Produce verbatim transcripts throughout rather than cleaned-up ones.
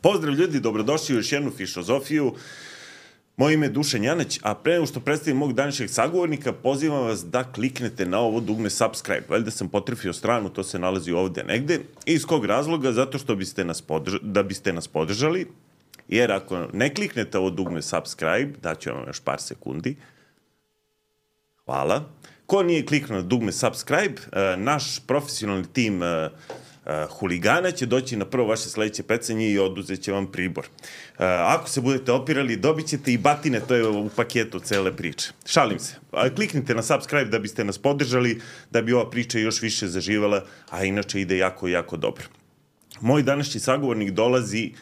Pozdrav ljudi, dobrodošli u još jednu Fišozofiju. Moje ime je Dušan Janać, a pre nego što predstavim mog današnjeg sagovornika, pozivam vas da kliknete na ovo dugme subscribe. Valjda sam potrefio stranu, to se nalazi ovde negde. I iz kog razloga? Zato što biste nas podrž... da biste nas podržali, jer ako ne kliknete ovo dugme subscribe, daću vam još par sekundi. Hvala. Ko nije kliknuo na dugme subscribe, naš profesionalni tim Uh, huligana će doći na prvo vaše sledeće pecanje i oduzet će vam pribor. Uh, ako se budete opirali, dobit ćete i batine, to je u paketu cele priče. Šalim se. Uh, kliknite na subscribe da biste nas podržali, da bi ova priča još više zaživala, a inače ide jako, jako dobro. Moj današnji sagovornik dolazi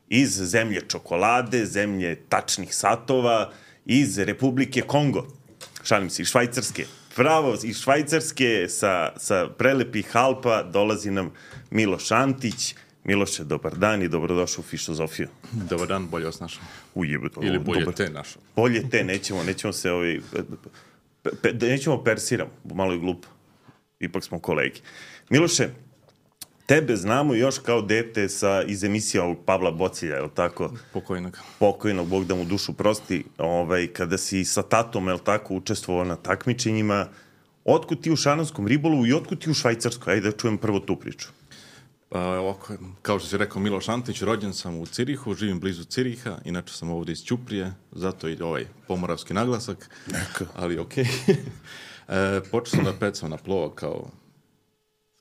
iz zemlje čokolade, zemlje tačnih satova, iz Republike Kongo. Šalim se, iz Švajcarske. Pravo, iz Švajcarske, sa, sa prelepih Alpa, dolazi nam Miloš Antić. Miloše, dobar dan i dobrodošao u Fišozofiju. Dobar dan, bolje vas našao. Ujebe, Ili bolje dobar. te našao. Bolje te, nećemo, nećemo se ovaj... Pe, pe, nećemo persiram, malo je glupo. Ipak smo kolegi. Miloše, tebe znamo još kao dete sa, iz emisija ovog Pavla Bocilja, je li tako? Pokojnog. Pokojnog, Bog da mu dušu prosti. Ovaj, kada si sa tatom, je li tako, učestvovao na takmičenjima, otkud ti u šaranskom ribolovu i otkud ti u Švajcarskoj? Ajde da čujem prvo tu priču. Pa ovako, kao što si rekao, Miloš Antić, rođen sam u Cirihu, živim blizu Ciriha, inače sam ovdje iz Ćuprije, zato i ovaj pomoravski naglasak. Neka. Ali okej. Okay. e, počeo sam da pecam na plova kao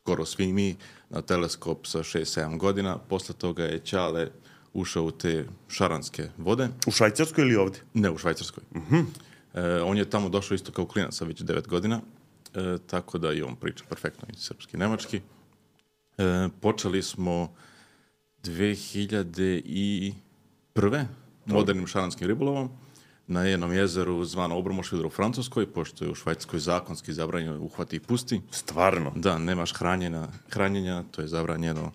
skoro svi mi, na teleskop sa šest sedam godina. Posle toga je Ćale ušao u te šaranske vode. U Švajcarskoj ili ovdje? Ne, u Švajcarskoj. Uh-huh. E, on je tamo došao isto kao klinac sa već devet godina, e, tako da i on priča perfektno i srpski i nemački. E, počeli smo dve hiljade prve. modernim šaranskim ribolovom na jednom jezeru zvano Obermoschwiller u Francuskoj, pošto je u Švajcarskoj zakonski zabranjeno uhvati i pusti. Stvarno? Da, nemaš hranjenja, hranjenja, to je zabranjeno.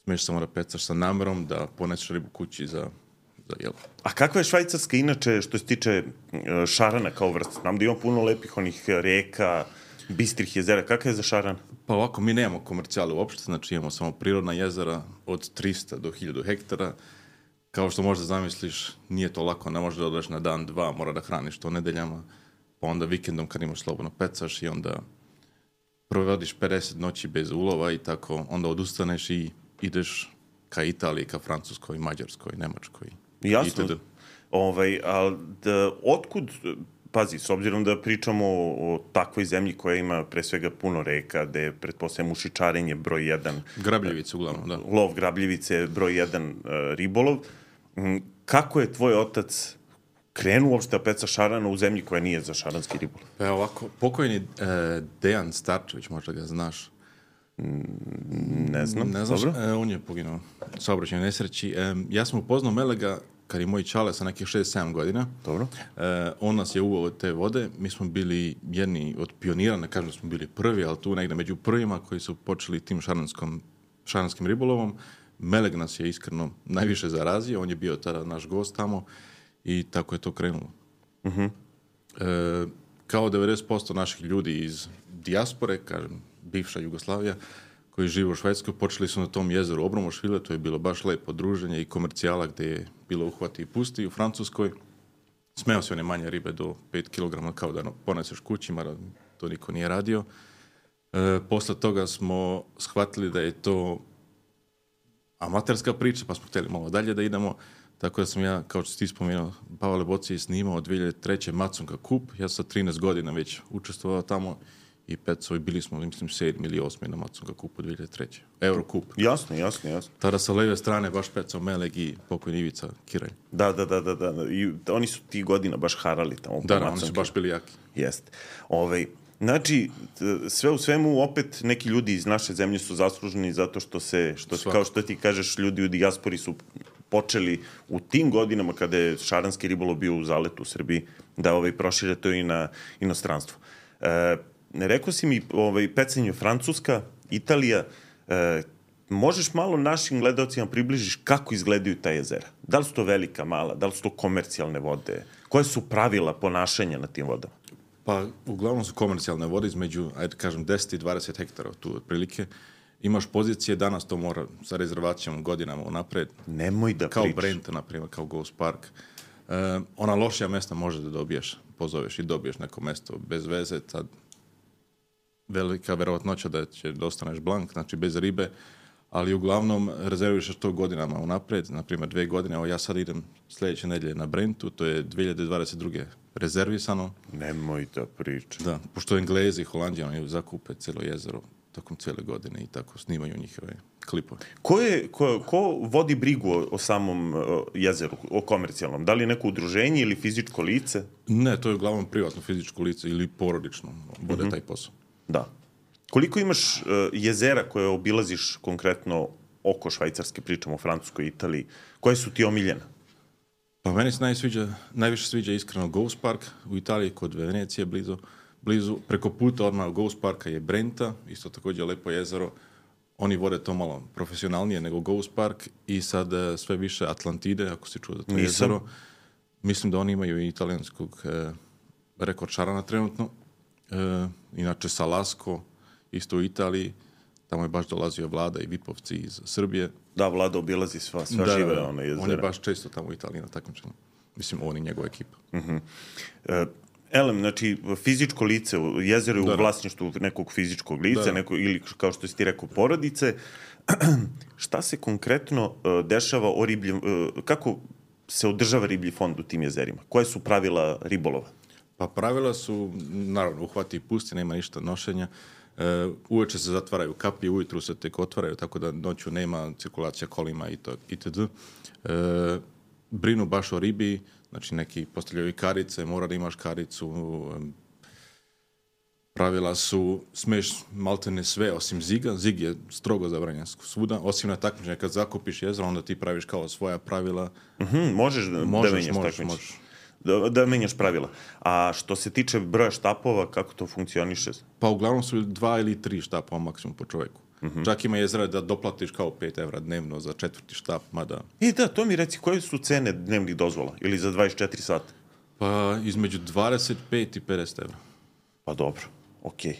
Smiješ samo da pecaš sa namerom, da poneseš ribu kući za, za jelo. A kakva je Švajcarska inače što se tiče šarana kao vrsta? Znam da ima puno lepih onih reka, bistrih jezera. Kakva je za šaran? Pa ovako, mi nemamo komercijale uopšte, znači imamo samo prirodna jezera od trista do hiljadu hektara. Kao što možda zamisliš, nije to lako, ne možeš da odeš na dan, dva, mora da hraniš to nedeljama, pa onda vikendom kad imaš slobodno pecaš i onda provodiš pedeset noći bez ulova i tako, onda odustaneš i ideš ka Italiji, ka Francuskoj, Mađarskoj, Nemačkoj. Jasno. Itd. Ovaj, ali da, otkud, pazi, s obzirom da pričamo o, o takvoj zemlji koja ima pre svega puno reka, gde je pretpostavljamo ušičarenje broj jedan. Grabljevice uglavnom, da. Lov grabljevice broj jedan uh, ribolov. Kako je tvoj otac krenuo uopšte da peca šarana u zemlji koja nije za šaranski ribolov? Pa ovako, pokojni e, Dejan Starčević, možda ga znaš. Ne znam. Ne znaš, e, on je poginuo u saobraćajnoj nesreći. E, ja sam upoznao Melega kad je moj Ćale sa nekih šest sedam godina. Dobro. E, on nas je uveo te vode. Mi smo bili jedni od pionira, ne kažem da smo bili prvi, ali tu negde među prvima koji su počeli tim šaranskom, šaranskim ribolovom. Meleg nas je iskreno najviše zarazio, on je bio tada naš gost tamo i tako je to krenulo. Uh-huh. E, kao devedeset posto naših ljudi iz dijaspore, kažem, bivša Jugoslavija, koji žive u Švajcarskoj, počeli su na tom jezeru Obermoschwiller, to je bilo baš lepo druženje i komercijala gde je bilo uhvati i pusti. U Francuskoj smeo se one manje ribe do pet kilograma kao da poneseš kući, mada to niko nije radio. E, posle toga smo shvatili da je to amaterska priča, pa smo htjeli malo dalje da idemo, tako da sam ja, kao što si ti spomenuo, Pavle Bocilj snimao dve hiljade treće. Macunga kup, ja sam sa trinaest godina već učestvovao tamo i pecao i bili smo, mislim, sedmi ili osmi na Macunga kupu dve hiljade treće. Eurokup. Jasno, jasno, jasno. Tada sa leve strane baš pecao Meleg i pokojni Ivica Kiralj. Da, da, da, da, da. I oni su ti godina baš harali tamo. Da, da, oni su baš bili jaki. Jeste. Ovaj, znači, sve u svemu, opet neki ljudi iz naše zemlje su zasluženi zato što se, što, kao što ti kažeš, ljudi u dijaspori su počeli u tim godinama kada je šaranski ribolov bio u zaletu u Srbiji, da ovaj, prošire to i na inostranstvo. E, rekao si mi, ovaj, pecanje Francuska, Italija, e, možeš malo našim gledalcima približiš kako izgledaju ta jezera? Da li su to velika, mala, da li su to komercijalne vode? Koje su pravila ponašanja na tim vodama? Pa, uglavnom su komercijalne vode između, ajde kažem, deset i dvadeset hektara tu otprilike. imaš pozicije, danas to mora sa rezervacijom godinama unapred. Nemoj da kao pričaš. Kao Brenta, na primjer, kao Ghost Park. Uh, ona lošija mesta može da dobiješ, pozoveš i dobiješ neko mesto bez veze, tad velika verovatnoća da će da ostaneš blank, znači bez ribe, ali uglavnom rezerviš to godinama unapred, na primjer dve godine, evo ja sad idem sljedeće nedelje na Brentu, to je dvije hiljade dvadeset druge rezervisano. Nemoj da pričaš. Da, pošto Englezi i Holandijani zakupe cijelo jezero tokom cijele godine i tako snimaju njihove klipove. Ko, je, ko, ko vodi brigu o, o samom o, jezeru, o komercijalnom? Da li je neko udruženje ili fizičko lice? Ne, to je uglavnom privatno fizičko lice ili porodično vode mm-hmm. taj posao. Da. Koliko imaš uh, jezera koje obilaziš konkretno oko Švajcarske, pričamo o Francuskoj, Italiji, koje su ti omiljene? Pa meni se najsviđa, najviše sviđa iskreno Ghost Park u Italiji, kod Venecije blizu. blizu. Preko puta odmah Ghost Parka je Brenta, isto također lepo jezero. Oni vode to malo profesionalnije nego Ghost Park i sad uh, sve više Atlantide, ako si čuo za to Nisam. jezero. Mislim da oni imaju i italijanskog uh, rekord šarana trenutno. Uh, inače Salasko, isto u Italiji, tamo je baš dolazio Vlada i Vipovci iz Srbije. Da, Vlada obilazi sva, sva da, žive da, ona jezera. On je baš često tamo u Italiji na takmičenju. Mislim, on i njegova ekipa. Uh-huh. Uh, Elem, znači, fizičko lice, jezero je u vlasništvu nekog fizičkog lica, da. Neko, ili kao što si ti rekao, porodice. Šta se konkretno uh, dešava o ribljem, uh, kako se održava riblji fond u tim jezerima? Koje su pravila ribolova? Pa pravila su, naravno, uhvati i pusti, nema ništa nošenja. Uh, uveče se zatvaraju kapije, ujutru se tek otvaraju, tako da noću nema cirkulacija kolima i to, itd. Uh, brinu baš o ribi, znači neki postavljaju i karice, mora da imaš karicu. Um, pravila su, smeš maltene sve osim ziga. Zig je strogo zabranjen svuda, osim na takmičenje. Kad zakupiš jezero, onda ti praviš kao svoja pravila. Mm-hmm, možeš da, možeš, da menjaš možeš, takmičenje. možeš. Da, da menjaš pravila. A što se tiče broja štapova, kako to funkcioniše? Pa uglavnom su dva ili tri štapova maksimum po čovjeku. Mm-hmm. Čak ima jezera da doplatiš kao pet evra dnevno za četvrti štap, mada... I da, to mi reci, koje su cene dnevnih dozvola? Ili za dvadeset četiri sata? Pa između dvadeset pet i pedeset evra. Pa dobro, okej. Okay.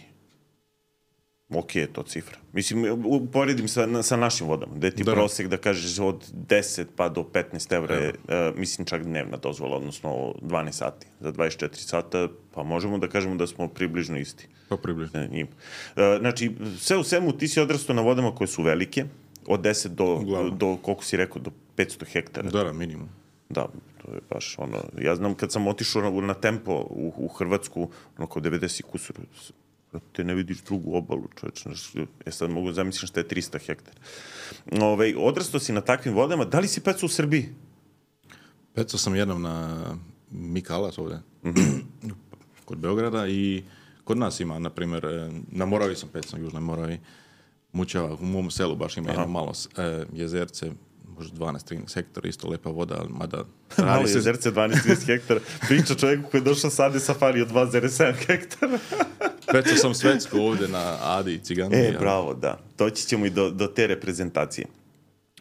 Okej okay, je to cifra. Mislim, uporedim sa, sa našim vodama, gde ti da. prosek, da kažeš, od deset pa do petnaest evra je, uh, mislim, čak dnevna dozvola, odnosno dvanaest sati. Za dvadeset četiri sata, pa možemo da kažemo da smo približno isti. Pa približno. Uh, znači, sve u svemu ti si odrastao na vodama koje su velike, od deset do, do, do koliko si rekao, do petsto hektara. Da, minimum. Da, to je baš ono, ja znam kad sam otišao na, na tempo u, u Hrvatsku, ono kao devedeset kusur, te ne vidiš drugu obalu, čovječ, ja sad mogu zamisliti šta je trista hektara. Ove, odrastao si na takvim vodama, da li si pecao u Srbiji? Pecao sam jednom na Mikalac ovdje, mm-hmm. kod Beograda i kod nas ima, na primjer, na Moravi sam pecao, Južnoj Moravi, Mučava, u mom selu baš ima Aha. jedno malo e, jezerce, možda dvanaest trinaest hektara, isto lepa voda, mada... Malo se... jezerce, dvanaest trinaest hektara. Priča čovjeku koji je došao sad safari od dva zarez sedam hektara. Pecao sam svetsku ovdje na Adi i Cigani. E, ja. Bravo, da. Doći ćemo i do, do te reprezentacije.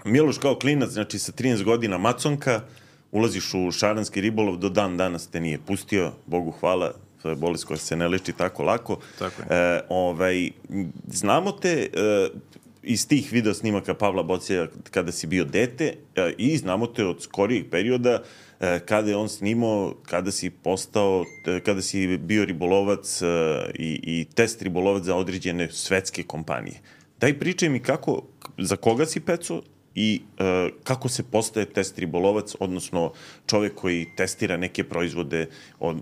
Miloš kao klinac, znači sa trinaest godina maconka, ulaziš u šaranski ribolov, do dan danas te nije pustio, Bogu hvala, to je bolest koja se ne leči tako lako. Tako je. E, ovaj, znamo te... E, iz tih video snimaka Pavla Bocija kada si bio dete e, i znamo te od skorijeg perioda e, kada je on snimao, kada si postao, e, kada si bio ribolovac e, i, i test ribolovac za određene svetske kompanije. Daj pričaj mi kako, za koga si pecao i e, kako se postaje test ribolovac, odnosno čovjek koji testira neke proizvode, od,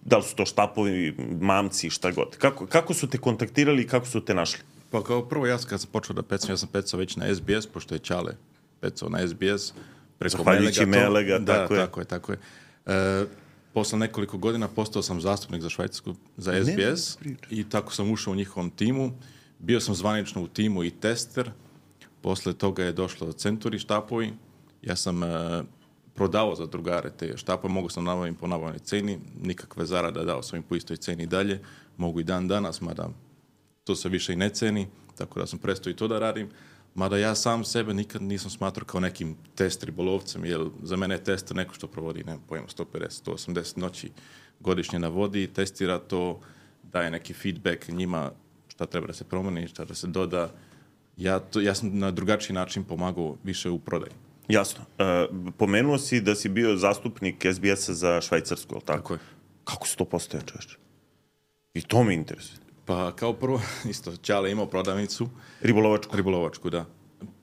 da li su to štapovi, mamci, šta god. Kako, kako su te kontaktirali i kako su te našli? Pa kao prvo, ja kad sam počeo da pecam, ja sam pecao već na S B S, pošto je Ćale pecao na S B S. Preko Melega, Melega, da, tako je. Tako je, tako je. E, posle nekoliko godina postao sam zastupnik za Švajcarsku, za S B S ne, i tako sam ušao u njihovom timu. Bio sam zvanično u timu i tester. Posle toga je došlo Centuri štapovi. Ja sam e, prodavao za drugare te štapove, mogu sam nabaviti po nabavnoj ceni, nikakve zarade, dao sam im po istoj ceni dalje. Mogu i dan danas, mada to se više i ne ceni, tako da sam prestao i to da radim. Mada ja sam sebe nikad nisam smatrao kao nekim test ribolovcem, jer za mene je tester neko što provodi, ne pojma, sto pedeset do sto osamdeset noći godišnje na vodi, testira to, daje neki feedback njima šta treba da se promeni, šta da se doda. Ja, to, ja sam na drugačiji način pomagao više u prodaji. Jasno. E, pomenuo si da si bio zastupnik S B S-a za Švajcarsku, ali tako? Tako je. Kako si to postao, čovječe? I to me interesuje. Pa kao prvo, isto, Ćale imao prodavnicu. Ribolovačku? Ribolovačku, da.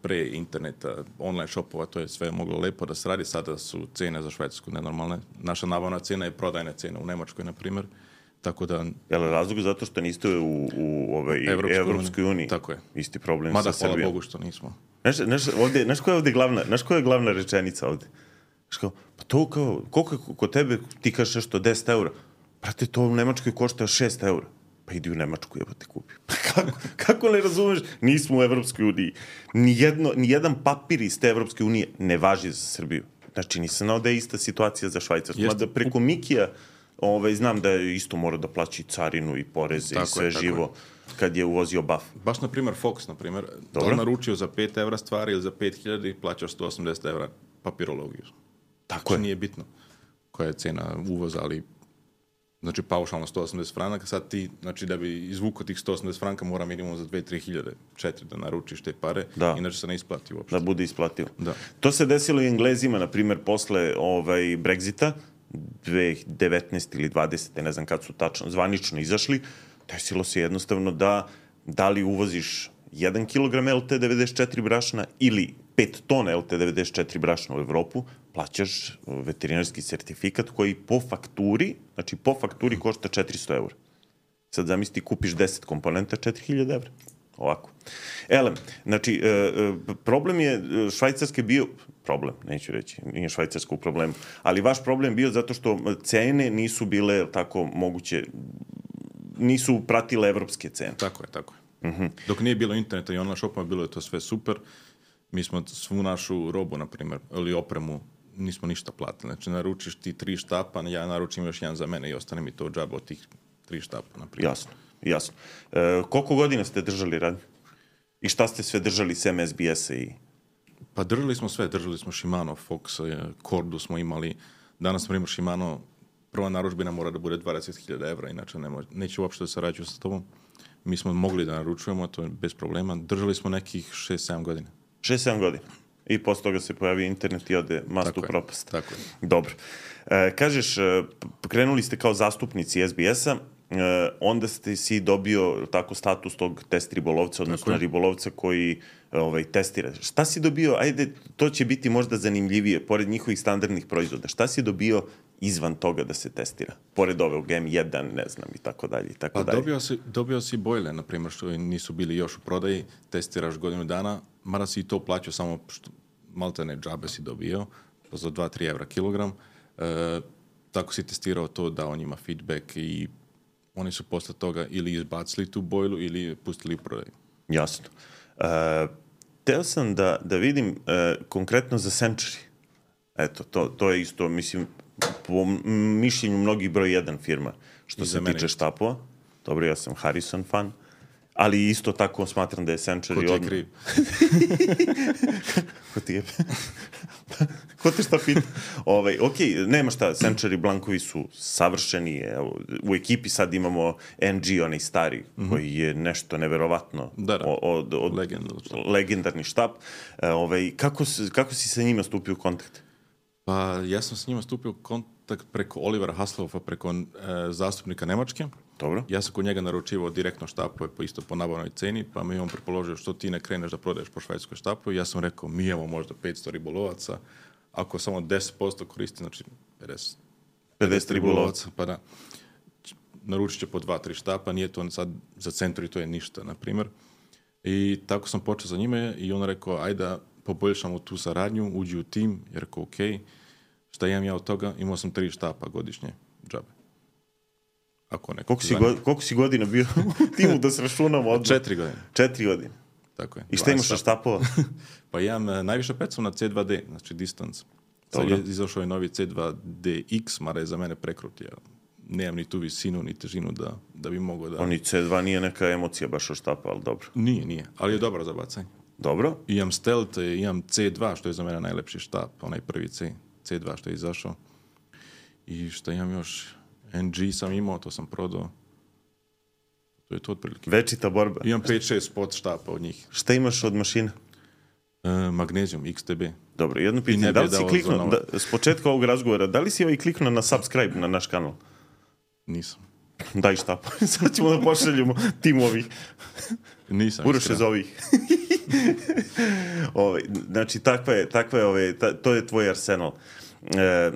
Pre interneta, online shopova, to je sve moglo lepo da se radi. Sada su cene za Švajcarsku nenormalne. Naša nabavna cena je prodajna cena u Nemačkoj, na primjer. Tako da... Je li razlog zato što niste u, u ovaj, Evropskoj uniji? Tako je. Isti problem Mada, sa Srbijom. Mada, hvala Bogu što nismo. Znaš, znaš, ovdje, znaš koja je ovdje glavna, znaš koja je glavna rečenica ovdje? Znaš kao, pa to kao, koliko je kod tebe, ti kažeš nešto deset eura, brate, to u Nemačkoj košta šest eura. Pa idi u Nemačku, jebo te kupi. Pa kako, kako ne razumeš? Nismo u Evropskoj uniji. Nijedno, nijedan papir iz te Evropske unije ne važi za Srbiju. Znači, nisam znao da je ista situacija za Švajcarsku. Mada preko Mikija, ovaj, znam da je isto mora da plaći carinu i poreze tako i sve je, živo je. Kad je uvozio baf. Baš, na primjer, Fox, na primjer, da li naručio za pet evra stvari ili za pet hiljada i plaćaš sto osamdeset evra papirologiju. Tako je. Nije bitno koja je cena uvoza, ali znači paušalno sto osamdeset franaka, sad ti, znači da bi izvukao tih sto osamdeset franka mora minimum za dve do tri hiljade, četiri da naručiš te pare, da. Inače se ne isplati uopšte. Da bude isplativo. Da. To se desilo i Englezima, na primjer, posle ovaj, Brexita, dve tisuće devetnaeste ili dvadesete ne znam kad su tačno zvanično izašli, desilo se jednostavno da da li uvoziš jedan kilogram L T devedeset četiri brašna ili pet tona L T devedeset četiri brašna u Evropu, plaćaš veterinarski sertifikat koji po fakturi, znači po fakturi košta četiristo eura. Sad zamisli, kupiš deset komponenta, četiri hiljade evra. Ovako. Elem, znači, problem je Švajcarske bio, problem, neću reći, nije Švajcarska u problemu, ali vaš problem bio zato što cene nisu bile tako moguće, nisu pratile evropske cene. Tako je, tako je. Uh-huh. Dok nije bilo interneta i online shopova, bilo je to sve super. Mi smo svu našu robu, na primjer, ili opremu, nismo ništa platili. Znači, naručiš ti tri štapa, ja naručim još jedan za mene i ostane mi to džaba od tih tri štapa, na primjer. Jasno, jasno. E, koliko godina ste držali radnju? I šta ste sve držali s M S B S-a i... Pa držali smo sve, držali smo Shimano, Fox, Kordu smo imali. Danas, na primjer, Shimano, prva naručbina mora da bude dvadeset hiljada evra, inače ne može, neće uopšte da sarađuju sa tobom. Mi smo mogli da naručujemo, to je bez problema. Držali smo nekih šest sedam godina. šest sedam godina. I posle toga se pojavi internet i ode mast u propast. Tako je. Dobro. E, kažeš, krenuli ste kao zastupnici S B S-a, e, onda ste si dobio tako status tog test ribolovca, odnosno ribolovca koji ovaj, testira. Šta si dobio, ajde, to će biti možda zanimljivije, pored njihovih standardnih proizvoda, šta si dobio izvan toga da se testira? Pored ovog M jedan, ne znam, i tako dalje, i tako pa dalje. Dobio si, dobio si bojle, na primjer, što nisu bili još u prodaji, testiraš godinu dana, mada si i to plaćao samo, što, maltene džabe si dobio, za dva do tri evra kilogram. E, tako si testirao to, dao njima feedback i oni su posle toga ili izbacili tu bojlu ili pustili u prodaju. Jasno. Uh, teo sam da, da vidim uh, konkretno za Century. Eto, to, to je isto, mislim, po mišljenju mnogih broj jedan firma što I se tiče štapova. Dobro, ja sam Harrison fan, ali isto tako smatram da je Century... Ko ti je kriv? Ko ti je? Ko te šta pita? Ovaj, ok, nema šta, Century Blankovi su savršeni. Evo, u ekipi sad imamo N G, onaj stari, mm-hmm. koji je nešto neverovatno da, da. od, od, legendarni štap. Ovaj, kako, kako si sa njima stupio u kontakt? Pa ja sam s njima stupio u kontakt preko Olivera Hasselhoffa, preko e, zastupnika Nemačke. Dobro. Ja sam kod njega naručivao direktno štapove po isto po nabavnoj ceni, pa mi je on prepoložio što ti ne kreneš da prodaješ po švajcarskoj štapu. Ja sam rekao, mi imamo možda petsto ribolovaca, ako samo deset posto koristi, znači pedeset, pedeset ribolovaca, pa da, naručit će po dva, tri štapa, nije to sad za Century, to je ništa, na primjer. I tako sam počeo za njime i on rekao, ajde da poboljšamo tu saradnju, uđi u tim, jer rekao, ok, šta imam ja od toga, imao sam tri štapa godišnje džabe. Ako neko koliko, si go, koliko si godina bio u timu da se računamo odmah? Četiri godine. Četiri godine. Tako je. I šta imaš od štapova? Pa imam najviše pecom na C dva D, znači distance. Sad je izašao je novi C dva D X, mada je za mene prekrut. Ja nemam ni tu visinu, ni težinu da, da bi mogao da... Oni C dva nije neka emocija baš od štapa, ali dobro. Nije, nije, ali je dobro za bacanje. Dobro. Imam Stealth, imam C dva, što je za mene najlepši štap, onaj prvi C, C dva što je izašao. I šta imam još... N G sam imao, to sam prodao. To je to otprilike. Večita borba. Imam pet šest spot štapa od njih. Šta imaš od mašina? E, magnezijum, X T B. Dobro, jedno pitanje. Da li si kliknuo, da, s početka ovog razgovora, da li si ovaj kliknuo na subscribe na naš kanal? Nisam. Daj štap. Sad ćemo da pošaljemo tim ovih. Nisam. Uroše za ovih. Ove, znači, takva je, takva je ove, ta, to je tvoj arsenal. E,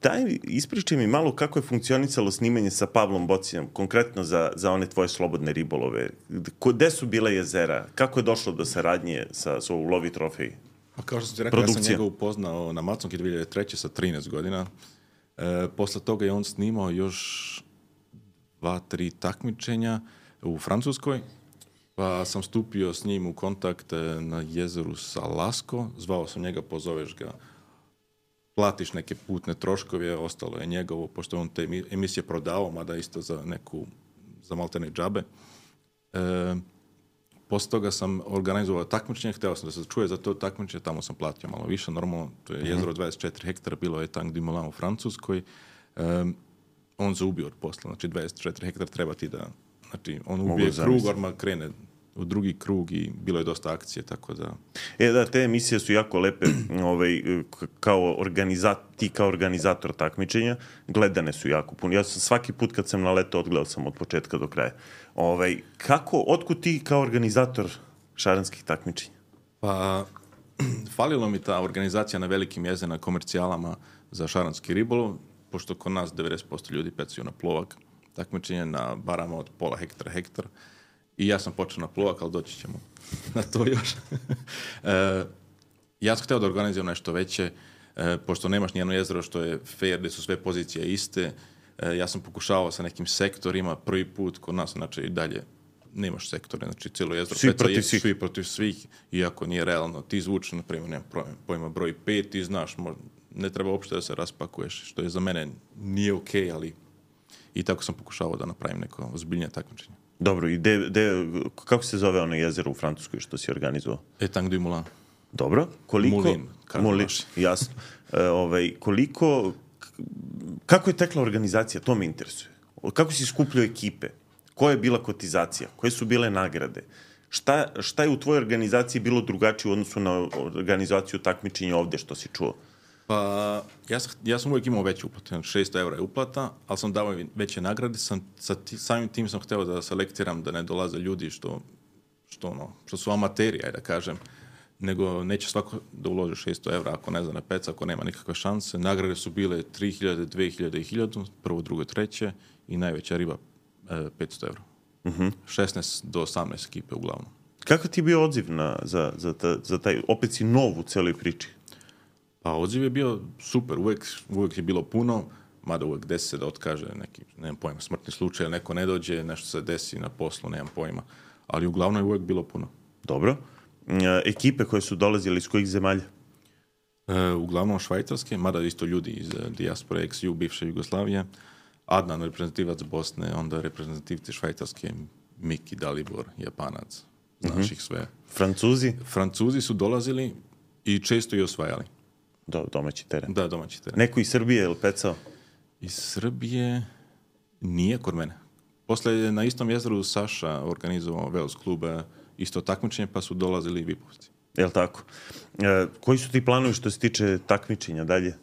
daj, ispričaj mi malo kako je funkcionisalo snimanje sa Pavlom Bocinom, konkretno za, za one tvoje slobodne ribolove. Gde su bile jezera? Kako je došlo do saradnje sa, sa Lovi trofeji? Pa kao što sam ti rekao, ja sam njega upoznao na Macunki dvije hiljade treće sa trinaest godina. E, posle toga je on snimao još dva, tri takmičenja u Francuskoj, pa sam stupio s njim u kontakt na jezeru Salasko, zvao sam njega, pozoveš ga, platiš neke putne troškove, ostalo je njegovo, pošto on te emisije prodao, mada isto za neku, za maltene džabe. E, posle toga sam organizovao takmičenje, hteo sam da se čuje za to takmičenje, tamo sam platio malo više, normalno, to je jezero dvadeset četiri hektara, bilo je Tank du Moulin u Francuskoj. E, on zaubio od posla, znači dvadeset četiri hektara treba ti da, znači on ubije krug, orma krene u drugi krug i bilo je dosta akcije, tako da... E da, te emisije su jako lepe, ovaj, kao organizat, ti kao organizator takmičenja, gledane su jako puno. Ja sam svaki put kad sam na leto odgledao sam od početka do kraja. Ovaj, kako, otkud ti kao organizator šaranskih takmičenja? Pa, falilo mi ta organizacija na velikim jezerima, komercijalama za šaranski ribolov, pošto kod nas devedeset posto ljudi pecaju na plovak, takmičenje na barama od pola hektara, hektar. I ja sam počeo na plovak, ali doći ćemo na to još. e, ja sam hteo da organizujem nešto veće, e, pošto nemaš nijedno jezero što je fair, gde su sve pozicije iste. E, ja sam pokušavao sa nekim sektorima, prvi put kod nas, znači i dalje nemaš sektore, znači cijelo jezero svi peca protiv je svih. svi protiv svih, iako nije realno. Ti zvuči, na primjer, nema pojma broj pet, ti znaš, možda, ne treba uopšte da se raspakuješ, što je za mene nije okej, okay, ali i tako sam pokušavao da napravim neko ozbiljnije takmičenje. Dobro, i de, de, kako se zove ono jezero u Francuskoj što si organizovao? E, Tank du Moulin. Dobro, koliko... Moulin, Moulin, jasno. E, ovaj, koliko... Kako je tekla organizacija? To me interesuje. Kako si skupljao ekipe? Koja je bila kotizacija? Koje su bile nagrade? Šta, šta je u tvojoj organizaciji bilo drugačije u odnosu na organizaciju takmičenja ovde što si čuo? Pa, ja sam, ja sam uvijek imao veće uplate, šesto evra je uplata, ali sam dao veće nagrade, sam, sa ti, samim tim sam hteo da selektiram, da ne dolaze ljudi što, što, ono, što su amateri, ajde da kažem, nego neće svako da uloži šesto evra ako ne zna na peca, ako nema nikakve šanse. Nagrade su bile tri hiljade, dve hiljade i hiljadu, prvo, drugo, treće i najveća riba e, petsto evra. Uh-huh. šesnaest do osamnaest ekipe uglavnom. Kako ti je bio odziv na, za, za, ta, za taj, opet si nov u celoj priči? Pa odziv je bio super, uvijek, uvijek je bilo puno, mada uvijek desi se da otkaže neki, nemam pojma, smrtni slučaj, neko ne dođe, nešto se desi na poslu, nemam pojma, ali uglavnom je uvijek bilo puno. Dobro. E, ekipe koje su dolazile iz kojih zemalja? E, uglavnom švajcarske, mada isto ljudi iz dijaspore, ex-ju, bivše Jugoslavije, Adnan, reprezentativac Bosne, onda reprezentativci švajcarske, Miki, Dalibor, Japanac, znaš uh-huh. ih sve. Francuzi? Francuzi su dolazili i često i osvajali. Do, domaći teren. Da, domaći teren. Neko iz Srbije je li pecao? Iz Srbije nije kod mene. Posle je na istom jezeru Saša organizovao Vels klub isto takmičenje, pa su dolazili i vipovci. Je li tako? E, koji su ti planovi što se tiče takmičenja dalje?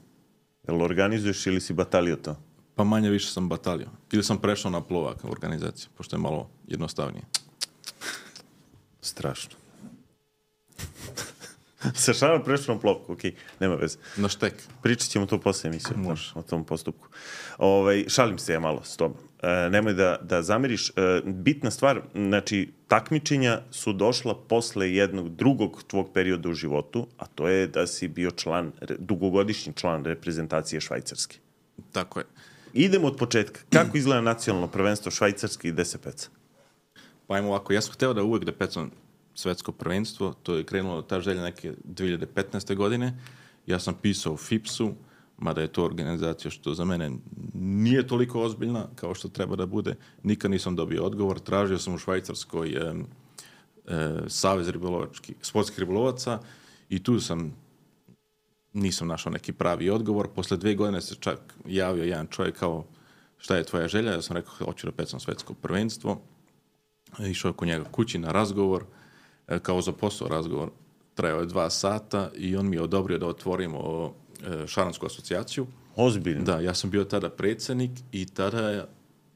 Je li organizuješ ili si batalio to? Pa manje više sam batalio. Ili sam prešao na plovak organizaciju, pošto je malo jednostavnije. Strašno. Sa šarom prešao na plovku, okej, okay, nema veze. Na štek. Pričat ćemo to posle emisije o tom postupku. Ovaj, šalim se ja malo s tobom. E, nemoj da, da zameriš. E, bitna stvar, znači, takmičenja su došla posle jednog drugog tvog perioda u životu, a to je da si bio član, dugogodišnji član reprezentacije Švajcarske. Tako je. Idemo od početka. Kako izgleda nacionalno prvenstvo Švajcarske i gde se peca? Pa ajmo ovako, ja sam hteo da uvek da pecam svetsko prvenstvo, to je krenulo ta želja neke dve hiljade petnaeste. godine. Ja sam pisao u F I P S-u, mada je to organizacija što za mene nije toliko ozbiljna kao što treba da bude. Nikad nisam dobio odgovor. Tražio sam u Švajcarskoj e, e, savez ribolovačkih, sportskih ribolovaca i tu sam nisam našao neki pravi odgovor. Posle dve godine se čak javio jedan čovjek kao šta je tvoja želja? Ja sam rekao, hoću da pecam svetsko prvenstvo. Išao kod njega kući na razgovor, kao za posao razgovor. Trajao je dva sata i on mi je odobrio da otvorimo šaransku asocijaciju. Ozbiljno? Da, ja sam bio tada predsjednik i tada je,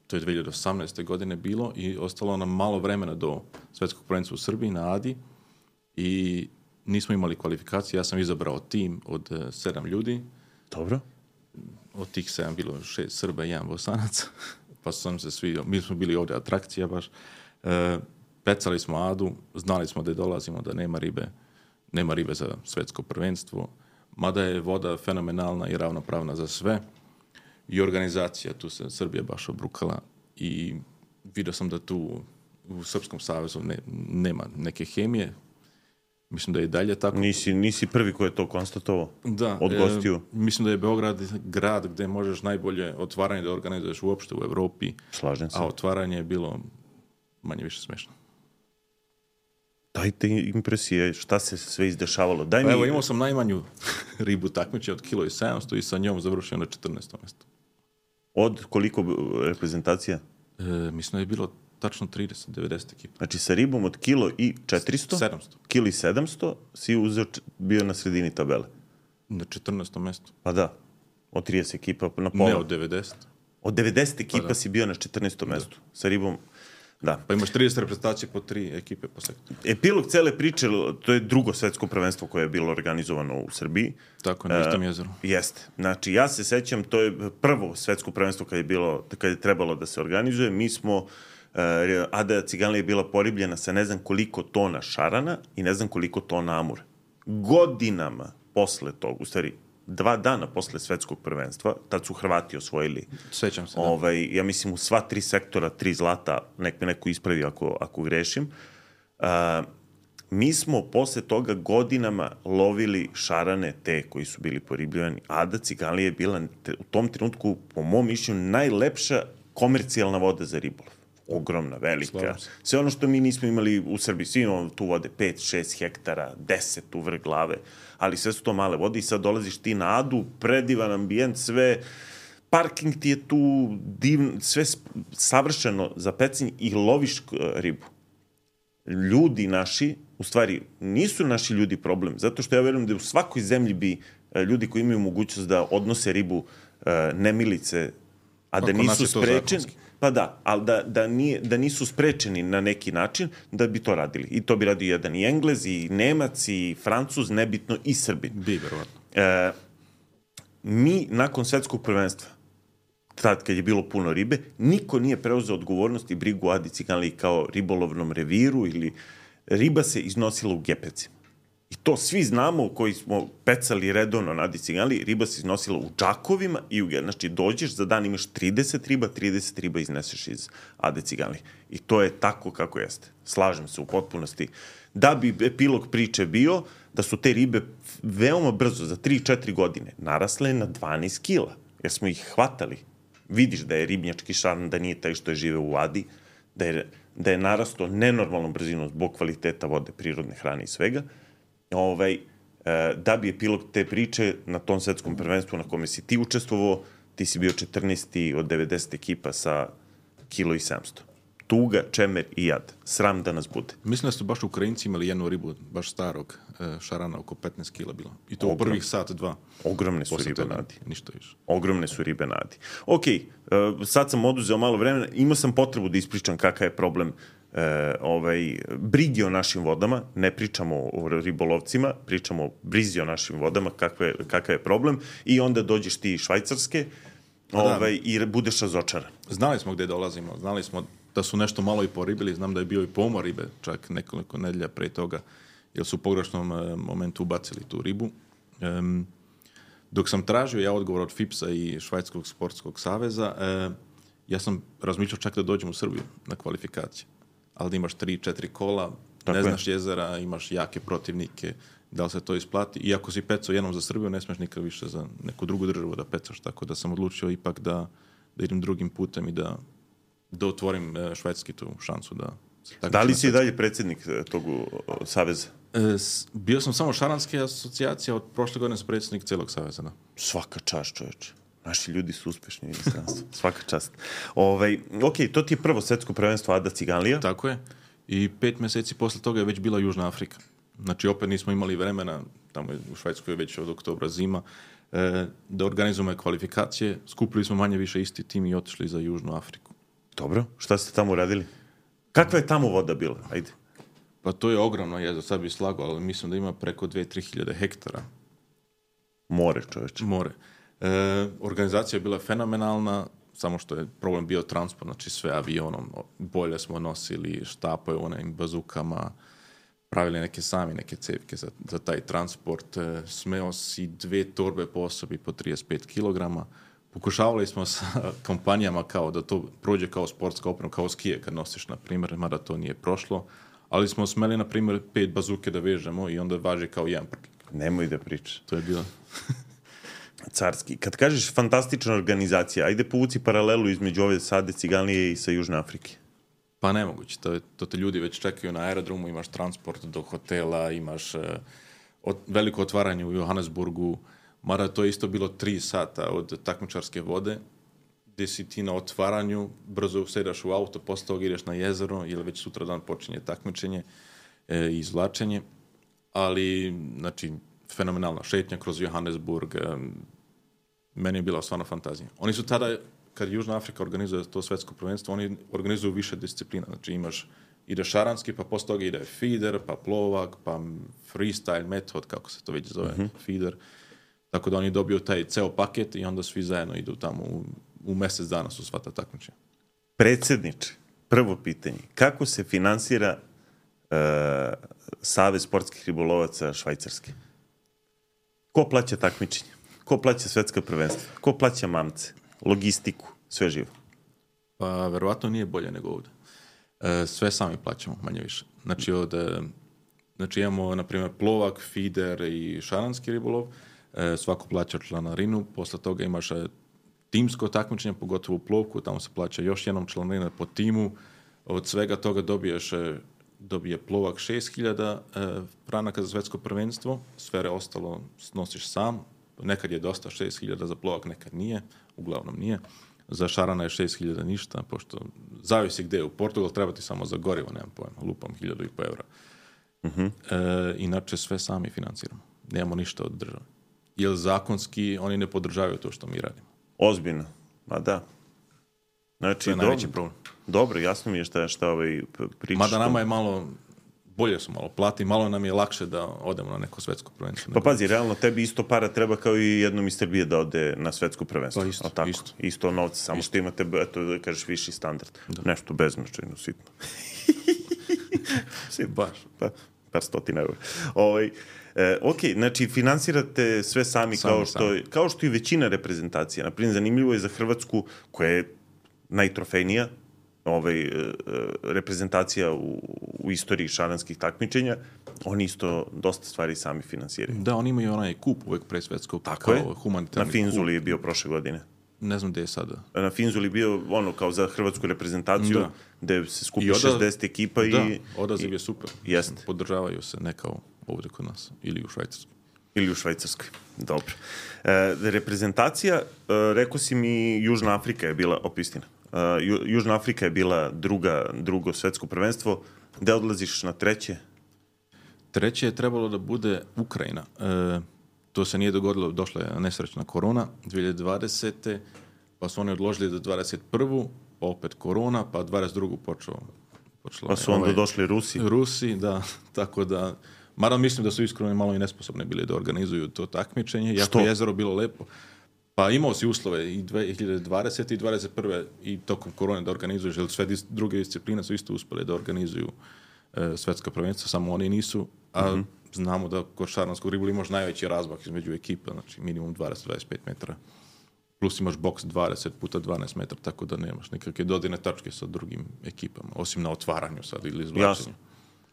to je dve hiljade osamnaeste. godine bilo i ostalo nam malo vremena do svetskog prvenstva u Srbiji na Adi i nismo imali kvalifikacije. Ja sam izabrao tim od uh, sedam ljudi. Dobro. Od tih sedam bilo šest Srba i jedan Bosanac. Pa sam se svi, mi smo bili ovdje atrakcija baš. Uh, pecali smo Adu, znali smo da dolazimo, da nema ribe, nema ribe za svetsko prvenstvo. Mada je voda fenomenalna i ravnopravna za sve. I organizacija, tu se Srbija baš obrukala i vidio sam da tu u Srpskom savezu ne, nema neke hemije. Mislim da je i dalje tako. Nisi, nisi prvi koji je to konstatovao? Da. Od gostiju? E, mislim da je Beograd grad gde možeš najbolje otvaranje da organizuješ uopšte u Evropi. Slažem se. A otvaranje je bilo manje više smešno. Dajte impresije, šta se sve izdešavalo. Daj pa mi... Evo, imao sam najmanju ribu takmiče od kilo i sedamsto i sa njom završio na četrnaestom mjestu. Od koliko reprezentacija? E, mislim da je bilo tačno trideset devedeset ekipa. Znači sa ribom od kilo i četiristo? sedamsto. Kilo i sedamsto si uzeo, bio na sredini tabele. Na četrnaestom mjestu. Pa da, od trideset ekipa na pola. Ne, od devedeset. Od devedeset ekipa pa da. Si bio na četrnaestom mjestu. Sa ribom, da. Pa imaš trideset reprezentacije po tri ekipe po sektoru. Epilog cele priče, to je drugo svetsko prvenstvo koje je bilo organizovano u Srbiji. Tako, na istom jezeru. Uh, jeste. Znači, ja se sećam, to je prvo svetsko prvenstvo kad je, bilo, kad je trebalo da se organizuje. Mi smo, uh, Ada Ciganlija je bila poribljena sa ne znam koliko tona šarana i ne znam koliko tona amura. Godinama posle tog, u stvari, dva dana posle svetskog prvenstva, tad su Hrvati osvojili. Sećam se, da. Ovaj, ja mislim u sva tri sektora, tri zlata, nek me neko ispravi ako, ako grešim. Uh, mi smo posle toga godinama lovili šarane te koji su bili poribljivani. Ada Ciganlija je bila u tom trenutku, po mom mišljenju, najlepša komercijalna voda za ribolov. Ogromna, velika. Sve ono što mi nismo imali u Srbiji, svi imamo tu vode pet šest hektara, deset u vrh glave, ali sve su to male vode i sad dolaziš ti na Adu, predivan ambijent, sve, parking ti je tu, divno, sve savršeno za pecanje i loviš ribu. Ljudi naši, u stvari, nisu naši ljudi problem, zato što ja verujem da u svakoj zemlji bi ljudi koji imaju mogućnost da odnose ribu nemilice, a da nisu sprečeni, pa da, ali da, da, nije, da nisu sprečeni na neki način da bi to radili. I to bi radio jedan i Englez, i Nemac, i Francuz, nebitno, i Srbin. Bi, verovatno. E, mi, nakon svetskog prvenstva, tad kad je bilo puno ribe, niko nije preuzeo odgovornost i brigu Adi Ciganliji kao ribolovnom reviru ili riba se iznosila u gepecima. I to svi znamo koji smo pecali redovno na Adi Ciganliji, riba se iznosila u džakovima i u, znači dođeš za dan imaš trideset riba, trideset riba izneseš iz Ade Ciganlije. I to je tako kako jeste. Slažem se u potpunosti. Da bi epilog priče bio da su te ribe veoma brzo, za tri četiri godine, narasle na dvanaest kila, jer smo ih hvatali. Vidiš da je ribnjački šaran, da nije taj što je žive u Adi, da je, da je narasto nenormalnom brzinom zbog kvaliteta vode, prirodne hrane i svega. Ovaj, da bi epilog te priče na tom svetskom prvenstvu na kome si ti učestvovao, ti si bio četrnaesti od devedeset ekipa sa kilo i sedamsto. Tuga, čemer i jad. Sram da nas bude. Mislim da su baš Ukrajinci imali jednu ribu, baš starog šarana, oko petnaest kila bilo. I to Ogrom. u prvih sat, dva. Ogromne su ribe na Adi. Ništa više. Ogromne su ribe na Adi. Ok, sad sam oduzeo malo vremena, imao sam potrebu da ispričam kakav je problem E, ovaj, brigi o našim vodama, ne pričamo o ribolovcima, pričamo o brizi o našim vodama, kakve, kakav je problem, i onda dođeš ti iz Švajcarske ovaj, i budeš razočaran. Znali smo gde dolazimo, znali smo da su nešto malo i poribili, znam da je bio i pomor ribe, čak nekoliko nedelja pre toga, jer su u pogrešnom e, momentu ubacili tu ribu. E, dok sam tražio ja odgovor od FIPS-a i Švajcarskog sportskog saveza, e, ja sam razmišljao čak da dođem u Srbiju na kvalifikacije. Ali da imaš tri četiri kola, tako ne znaš je. Jezera, imaš jake protivnike, da li se to isplati. I ako si pecao jednom za Srbiju, ne smeš nikad više za neku drugu državu da pecaš, tako da sam odlučio ipak da, da idem drugim putem i da, da otvorim švedski tu šansu. Da, da li si i dalje predsjednik tog saveza? E, bio sam samo šaranske asocijacije, od prošle godine sam predsjednik celog saveza. Da. Svaka čast, čoveče. Naši ljudi su uspešni u inostranstvu. Svaka čast. Ovaj, ok, to ti je prvo svetsko prvenstvo Ada Ciganlija. Tako je. I pet meseci posle toga je već bila Južna Afrika. Znači, opet nismo imali vremena, tamo je u Švedskoj već od oktobra zima, e, da organizujemo kvalifikacije. Skupili smo manje više isti tim i otišli za Južnu Afriku. Dobro. Šta ste tamo uradili? Kakva je tamo voda bila? Ajde. Pa to je ogromno jezero, sad bih slagao, ali mislim da ima preko dve do tri hiljade hektara. More, čoveče. More. E, organizacija je bila fenomenalna, samo što je problem bio transport, znači sve avionom, bolje smo nosili štapoje u onim bazukama, pravili neke sami, neke cevke za, za taj transport, e, smeo si dve torbe po osobi po trideset pet kilograma. Pokušavali smo sa kompanijama kao da to prođe kao sportska oprema, kao skije kad nosiš, na primjer, mada to nije prošlo, ali smo smeli, na primjer, pet bazuke da vežemo i onda važi kao jedan prklik. Nemoj da pričaš. To je bilo... Carski. Kad kažeš fantastična organizacija, ajde povuci paralelu između ove Ade Ciganlije i sa Južne Afrike. Pa nemoguće. To, to te ljudi već čekaju na aerodromu, imaš transport do hotela, imaš uh, od, veliko otvaranje u Johannesburgu, mada to je isto bilo tri sata od takmičarske vode, gdje si ti na otvaranju, brzo usedaš u auto, posle toga ideš na jezero, ili već sutra dan počinje takmičenje i e, izvlačenje. Ali, znači, fenomenalna šetnja kroz Johannesburg. Meni je bila stvarno fantazija. Oni su tada, kad Južna Afrika organizuje to svetsko prvenstvo, oni organizuju više disciplina. Znači imaš, ide šaranski, pa posle toga ide feeder, pa plovak, pa freestyle metod, kako se to već zove, mm-hmm. feeder. Tako da oni dobiju taj ceo paket i onda svi zajedno idu tamo. U, u mesec dana su sva ta takmičenja. Predsjedniče, prvo pitanje. Kako se finansira uh, Savez sportskih ribolovaca Švajcarske? Ko plaća takmičenje? Ko plaća svetska prvenstva? Ko plaća mamce? Logistiku? Sve živo? Pa, verovatno nije bolje nego ovdje. E, sve sami plaćamo, manje više. Znači, od, znači imamo, na primjer, plovak, feeder i šaranski ribolov. E, svako plaća članarinu. Posle toga imaš timsko takmičenje, pogotovo u plovku. Tamo se plaća još jednom članarina po timu. Od svega toga dobiješ... dobije plovak šest hiljada e, franaka za svetsko prvenstvo, sve ostalo snosiš sam, nekad je dosta šest hiljada za plovak, nekad nije, uglavnom nije. Za šarana je šest hiljada ništa, pošto zavisi gde je. U Portugal treba ti samo za gorivo, nemam pojma, lupam hiljadu i po evra. Uh-huh. E, inače sve sami financiramo, nemamo ništa od države. Jer zakonski oni ne podržavaju to što mi radimo. Ozbiljno, ma da. Znači, to je najveći problem. Dobro, jasno mi je šta, šta ovaj pričaš. Mada nama je malo, bolje su malo plati, malo nam je lakše da odemo na neko svetsko prvenstvo. Pa pazi, realno tebi isto para treba kao i jednom iz Srbije da ode na svetsko prvenstvo. Pa isto, tako? isto. Isto novce, samo isto. Što imate, eto da kažeš, viši standard. Da. Nešto bezmačajno, sitno. Baš. Pa, par stotina eura. Ovaj, e, ok, znači finansirate sve sami, sami kao, što, sami. kao što i većina reprezentacija. Naprimjer, zanimljivo je za Hrvatsku, koja je najtrofejnija ovaj, reprezentacija u, u istoriji šaranskih takmičenja, oni isto dosta stvari sami finansiraju. Da, oni imaju onaj kup uvek pre svetskog. Tako je, na Finzuli je bio prošle godine. Ne znam gde je sada. Na Finzuli je bio ono kao za hrvatsku reprezentaciju, da. Gde se skupi odav... šezdeset ekipa i... Da, odaziv i, je super. Jeste. Podržavaju se ne kao ovdje kod nas, ili u Švajcarskoj. Ili u Švajcarskoj, dobro. E, reprezentacija, e, rekao si mi, Južna Afrika je bila opistina. Uh, Južna Afrika je bila druga, drugo svetsko prvenstvo. Gde odlaziš na treće? Treće je trebalo da bude Ukrajina. E, to se nije dogodilo, došla je nesrećna korona dvije hiljade dvadesete. Pa su oni odložili do dvadeset prve. Pa opet korona, pa dvadeset druge počeo. počelo pa su onda ovaj, došli Rusi. Rusi, da. Tako da, mada mislim da su iskreno malo i nesposobni bili da organizuju to takmičenje. Što? Jako je jezero bilo lepo. Pa imao si uslove i dvije hiljade dvadesete i dvadeset prve i tokom korone da organizuješ, jer sve dis, druge discipline su isto uspjeli da organizuju e, svetska prvenstva, samo oni nisu, a mm-hmm. znamo da kod šaranskog ribolova imaš najveći razmak između ekipa, znači minimum dvadeset do dvadeset pet metara, plus imaš boks dvadeset puta dvanaest metara, tako da nemaš nekakve dodirne tačke sa drugim ekipama, osim na otvaranju sad ili izvlačenju.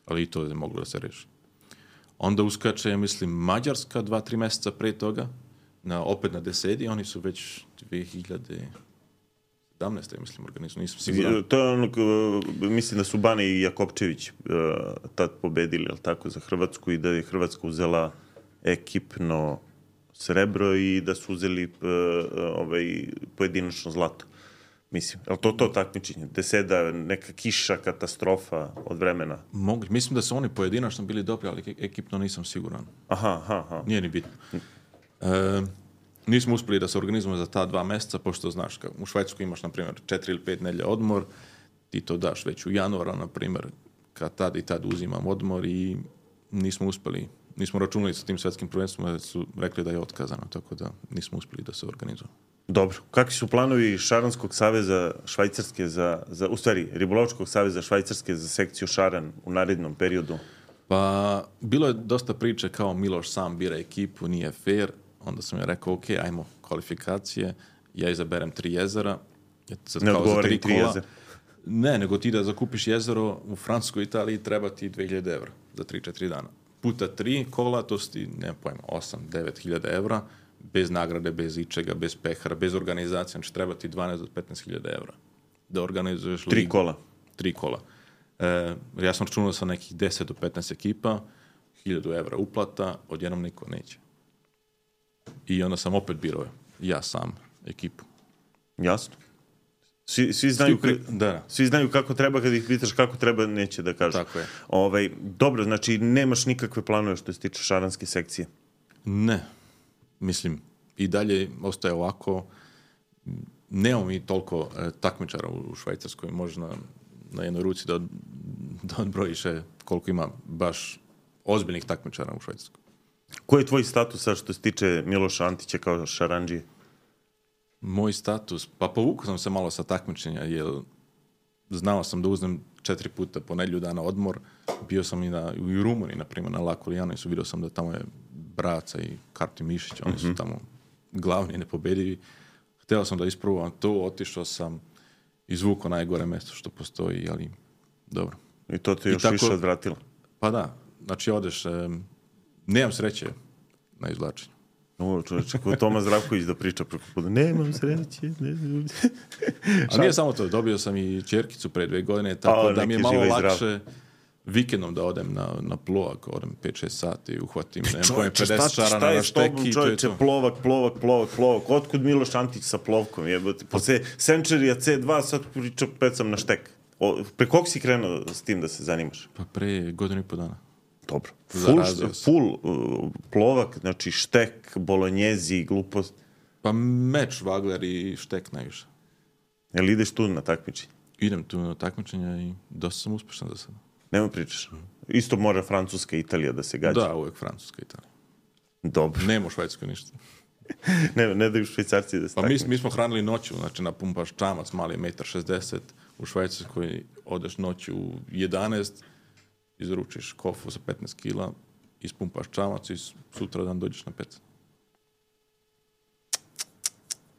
Ali i to je moglo da se reši. Onda uskače, mislim, Mađarska dva, tri mjeseca pre toga, na, opet na desedi, oni su već dvije hiljade sedamnaeste mislim, organizuju, nisam siguran. To je ono, mislim da su Bane i Jakopčević uh, tad pobedili, ali tako, za Hrvatsku i da je Hrvatska uzela ekipno srebro i da su uzeli uh, ovaj, pojedinačno zlato. Mislim, je li to to takmičenje? Gde seda neka kiša, katastrofa od vremena? Mogli. Mislim da su oni pojedinačno bili dobri, ali ekipno nisam siguran. Aha, aha, aha. Nije ni bitno. E, nismo uspeli da se organizujemo za ta dva meseca, pošto znaš, u Švajcarskoj imaš, na primjer, četiri ili pet nedelja odmor, ti to daš već u januara, na primjer, kad tad i tad uzimam odmor i nismo uspeli, nismo računali sa tim svetskim prvenstvom, jer su rekli da je otkazano, tako da nismo uspeli da se organizujemo. Dobro. Kakvi su planovi Šaranskog saveza Švajcarske za, za u stvari, Ribolovačkog saveza Švajcarske za sekciju Šaran u narednom periodu? Pa, bilo je dosta priče kao Miloš sam bira ekipu, nije fair. Onda sam ja rekao, ok, ajmo kvalifikacije, ja izaberem tri jezera. Sad, ne kao odgovori tri tri kola. jezera. Ne, nego ti da zakupiš jezero u Francuskoj Italiji treba ti dve hiljade evra za tri četiri dana. Puta tri kola, to su ti, nema pojma, osam devet hiljada evra, bez nagrade, bez ičega, bez pehara, bez organizacije, znači treba ti dvanaest do petnaest hiljada evra da organizuješ ligu. Tri kola. Tri kola. E, ja sam računao sa nekih deset do petnaest ekipa, hiljadu evra uplata, odjednom niko neće. I onda sam opet birao ja sam ekipu. Jasno. Svi, svi, znaju, Svi, da, da. svi znaju kako treba, kad ih pitaš kako treba, neće da kažu. Tako je. Ovaj, dobro, znači nemaš nikakve planove što se tiče šaranske sekcije? Ne. Mislim, i dalje ostaje ovako. Nemamo mi toliko e, takmičara u Švajcarskoj, možda na jednoj ruci da, da odbrojiš koliko ima baš ozbiljnih takmičara u Švajcarskoj. Koji je tvoj status sad što se tiče Miloša Antića kao šarandžije? Moj status? Pa povukao sam se malo sa takmičenja, jer znao sam da uzmem četiri puta po nedjelju dana odmor. Bio sam i, na, i u Rumuniji, na primjer, na Laku Lijanisu, vidio sam da tamo je Braca i Karti Mišić, oni su tamo glavni i nepobedivi. Htio sam da isprobujem to, otišao sam, izvukao najgore mjesto što postoji, ali dobro. I to te još tako, više odvratilo? Pa da, znači odeš, um, nemam sreće na izvlačenju. O, čovječe, ko Toma Zdravković da priča preko puta, nemam sreće. Ne. A nije samo to, dobio sam i ćerkicu pre dve godine, tako A, da mi je malo živa lakše vikendom da odem na, na plovak, odem pet šest sati i uhvatim ne, Čovječe, pedeset šta, šarana šta je na s tobom, šteki. čovječe, plovak, plovak, plovak, plovak. Otkud Miloš Antić sa plovkom? Jebote, posle Centurija C dva sad priča pecam na štek. O, pre kog si krenuo s tim da se zanimaš? Pa pre godinu i po dana. Dobro. Full, full uh, plovak, znači štek, bolonjezi, glupost. Pa meč, vagler i štek najviše. Jel ideš tu na takmičenje? Idem tu na takmičenja i dosta sam uspešan za sada. Nema pričaš. Isto mora Francuska i Italija da se gađa. Da, uvijek Francuska i Italija. Dobro. Nema u Švajcarskoj ništa. ne, ne daju Švajcarci da se Pa mi, mi smo hranili noću, znači napumpaš čamac, mali metar šezdeset, u Švajcarskoj odeš noću u jedanaest, izručiš kofu za petnaest kila, ispumpaš čamac i sutra dan dođeš na pet.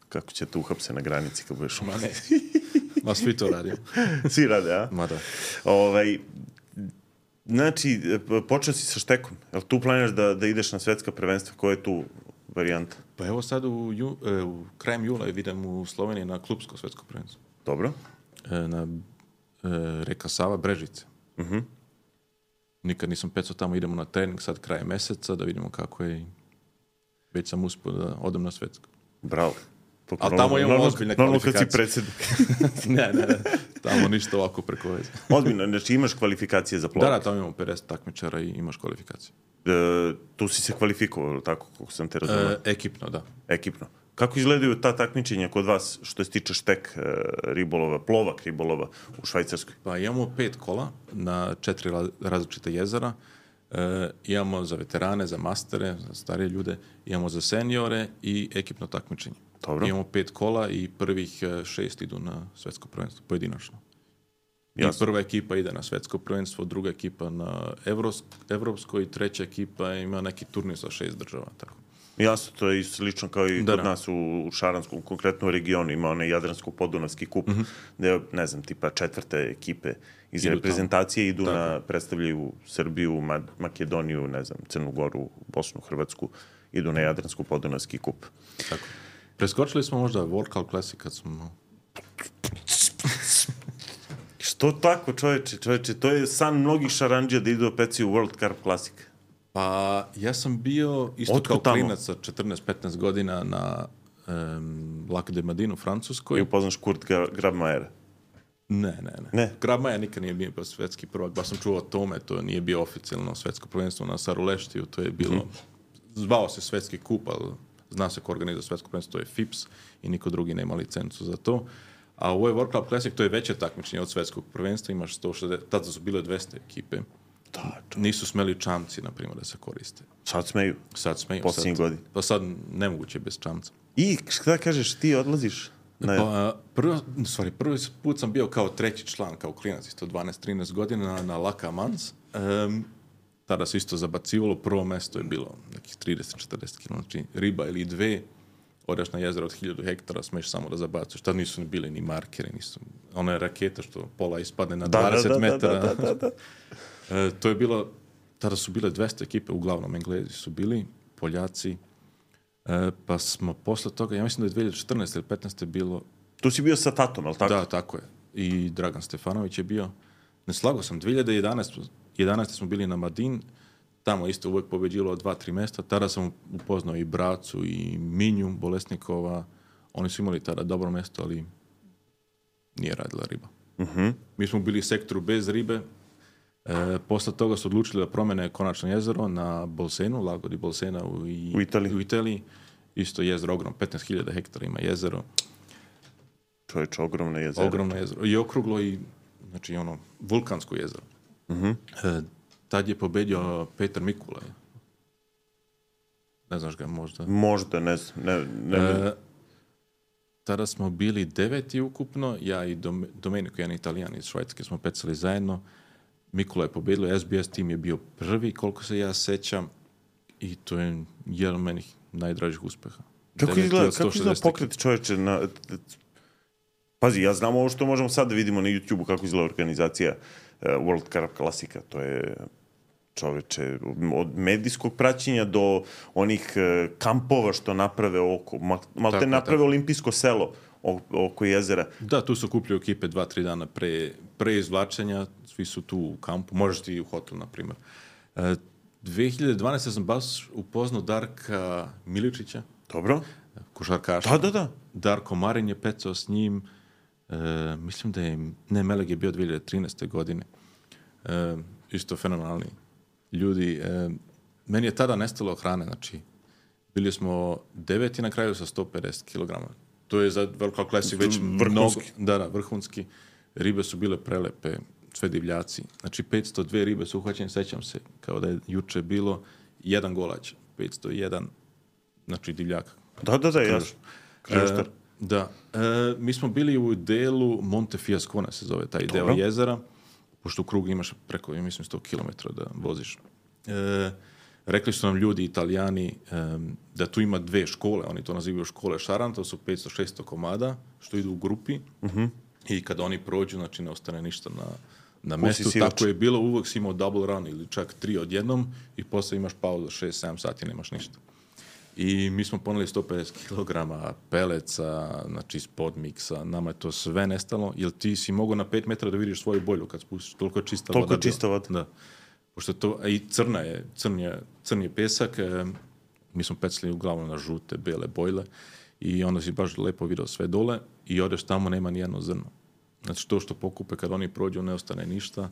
Kako će te uhapse na granici kad budeš Ma ne, ma svi to radi. Svi rade, a? Ma da. Ovaj, znači, počeo si sa štekom. Jel tu planiraš da, da ideš na svetska prvenstva? Koja je tu varijanta? Pa evo sad u, ju, e, u krajem jula idem u Sloveniji na klubsko svetsko prvenstvo. Dobro. E, na e, reka Sava, Brežice. Mhm. Uh-huh. Nikad nisam pecao tamo, idemo na trening sad kraje meseca, da vidimo kako je. Već sam uspio da odem na svetsko. Bravo. Ali tamo imamo ozbiljne kvalifikacije. Normalno kad si predsjednik. ne, ne, ne. Tamo ništa ovako preko veze. Ozbiljno, znači imaš kvalifikacije za plovak? Da, da, tamo imamo pedeset takmičara i imaš kvalifikacije. E, tu si se kvalifikovao, tako kako sam te razumio? E, ekipno, da. Ekipno. Kako izgledaju ta takmičenja kod vas što se tiče štek e, ribolova, plovak ribolova u Švajcarskoj? Pa imamo pet kola na četiri različite jezera. E, imamo za veterane, za mastere, za starije ljude, imamo za seniore i ekipno takmičenje. Dobro. Imamo pet kola i prvih šest idu na svetsko prvenstvo, pojedinačno. Jasno. I prva ekipa ide na svetsko prvenstvo, druga ekipa na Evros, evropsko i treća ekipa ima neki turnir sa šest država. Tako. Jasno, to je slično kao i da, kod da. nas u, u Šaranskom, konkretno u regionu, ima onaj Jadransko-Podunavski kup, mm-hmm. gde, ne znam, tipa četvrte ekipe iz idu reprezentacije tamo. Idu tako. Na, predstavljaju Srbiju, Ma- Makedoniju, ne znam, Crnu Goru, Bosnu, Hrvatsku, idu na Jadransko-Podunavski kup. Tako. Preskočili smo možda World Cup Classic kad smo... Što tako, čoveče, čoveče, to je san mnogih šarandžija da idu opet u World Cup Classic. Pa ja sam bio isto Otkud kao tamo? klinac sa četrnaest petnaest godina na um, Lac de Madin u Francuskoj. I upoznaš Kurt Grabmajera? Ne, ne, ne. Ne? Grabmajer nikad nije bio svetski prvak, baš sam čuo o tome, to nije bio oficijalno svetsko prvenstvo na Saruleštiju, to je bilo, mm-hmm. zvao se svetski kup, ali zna se ko organizuje svetsko prvenstvo, to je F I P S i niko drugi nema licencu za to. A u ovoj World Club Classic to je veće takmičenje od svetskog prvenstva, imaš sto šezdeset, tada su bile dvesta ekipe. Da, nisu smeli čamci, na primjer, da se koriste. Sad smeju? Sad smeju. Posljednjih godina. Pa sad nemoguće bez čamca. I šta kažeš, ti odlaziš? Ne. Pa, prvo, sorry, prvi put sam bio kao treći član, kao klinac, isto dvanaest trinaest godina na, na Lac Mans. Um, tada se isto zabacivalo, prvo mesto je bilo nekih trideset četrdeset kilometara, znači riba ili dve, odeš na jezero od hiljadu hektara, smeš samo da zabacuješ. Tad nisu ni bili ni markeri, nisu. Ona je raketa što pola ispadne na da, dvadeset da, metara. Da, da, da, da. e, to je bilo, tada su bile dvesta ekipe, uglavnom Englezi su bili, Poljaci, e, pa smo posle toga, ja mislim da je dve hiljade četrnaeste ili petnaeste bilo... Tu si bio sa tatom, ali tako? Da, tako je. I Dragan Stefanović je bio. Ne slagao sam, dve hiljade jedanaeste smo bili na Madin, tamo isto uvek pobeđilo dva, tri mesta. Tada sam upoznao i Bracu i Minju Bolesnikova. Oni su imali tada dobro mesto, ali nije radila riba. Uh-huh. Mi smo bili u sektoru bez ribe. E, posle toga su odlučili da promene konačno jezero na Bolsenu, Lago di Bolsena u, i, u, Italiji. u Italiji. Isto jezero, ogromno, petnaest hiljada hektara ima jezero. Čovječ, ogromno jezero. Ogromno jezero. I okruglo i, znači, ono, vulkansko jezero. Uh-huh. E, tad je pobedio Petar Mikulaj. Ne znaš ga možda? Možda, ne znam. Ne, ne, e, tada smo bili deveti ukupno, ja i Dom, Domenico, jedan Italijan iz Švajcarske, smo pecali zajedno. Mikulaj je pobedio, S B S tim je bio prvi, koliko se ja sećam, i to je jedan od menih najdražih uspeha. Kako izgleda, kako izgleda pokret čovječe na... Pazi, ja znam ovo što možemo sad da vidimo na YouTube-u kako izgleda organizacija uh, World Cup klasika. To je, čoveče, od medijskog praćenja do onih uh, kampova što naprave oko, mal, mal te naprave tako. Olimpijsko selo oko jezera. Da, tu se okupljaju ekipe dva, tri dana pre, pre izvlačenja, svi su tu u kampu, možeš ti i u hotelu, na primjer. Uh, dve hiljade dvanaeste sam baš upoznao Darka Miličića. Dobro. Košarkaša. Da, da, da. Darko Marin je pecao s njim. E, mislim da je, ne, Meleg je bio dve hiljade trinaeste godine. E, isto fenomenalni ljudi. E, meni je tada nestalo hrane, znači bili smo deveti na kraju sa sto pedeset kilograma. To je za World Cup Classic već mnogo. Da, da, vrhunski. Ribe su bile prelepe, sve divljaci. Znači petsto dve ribe su uhvaćene, sećam se, kao da je juče bilo, jedan golać, petsto jedan, znači divljaka. Da, da, da, jasno. E, da. E, mi smo bili u delu Monte Fiascone, se zove taj deo jezera, pošto u krugu imaš preko, ja mislim, sto kilometara da voziš. E, rekli su nam ljudi, Italijani, e, da tu ima dve škole, oni to nazivaju škole Šaran, to su petsto šesto komada, što idu u grupi, uh-huh. I kada oni prođu, znači ne ostane ništa na, na mestu. Tako je bilo, uvek si imao double run ili čak tri odjednom i posle imaš pauzu šest sedam sati, nemaš ništa. I mi smo poneli sto pedeset kilograma peleca, znači iz podmiksa, nama je to sve nestalo, jer ti si mogao na pet metara da vidiš svoju bolju kad spustiš, toliko je čista toliko voda. Toliko je čista voda. Da. Pošto to, a i crna je, crn je, crn je pesak, e, mi smo pecali uglavnom na žute, bele bojle i onda si baš lepo vidio sve dole i odeš tamo, nema ni jedno zrno. Znači to što pokupe kad oni prođu, ne ostane ništa.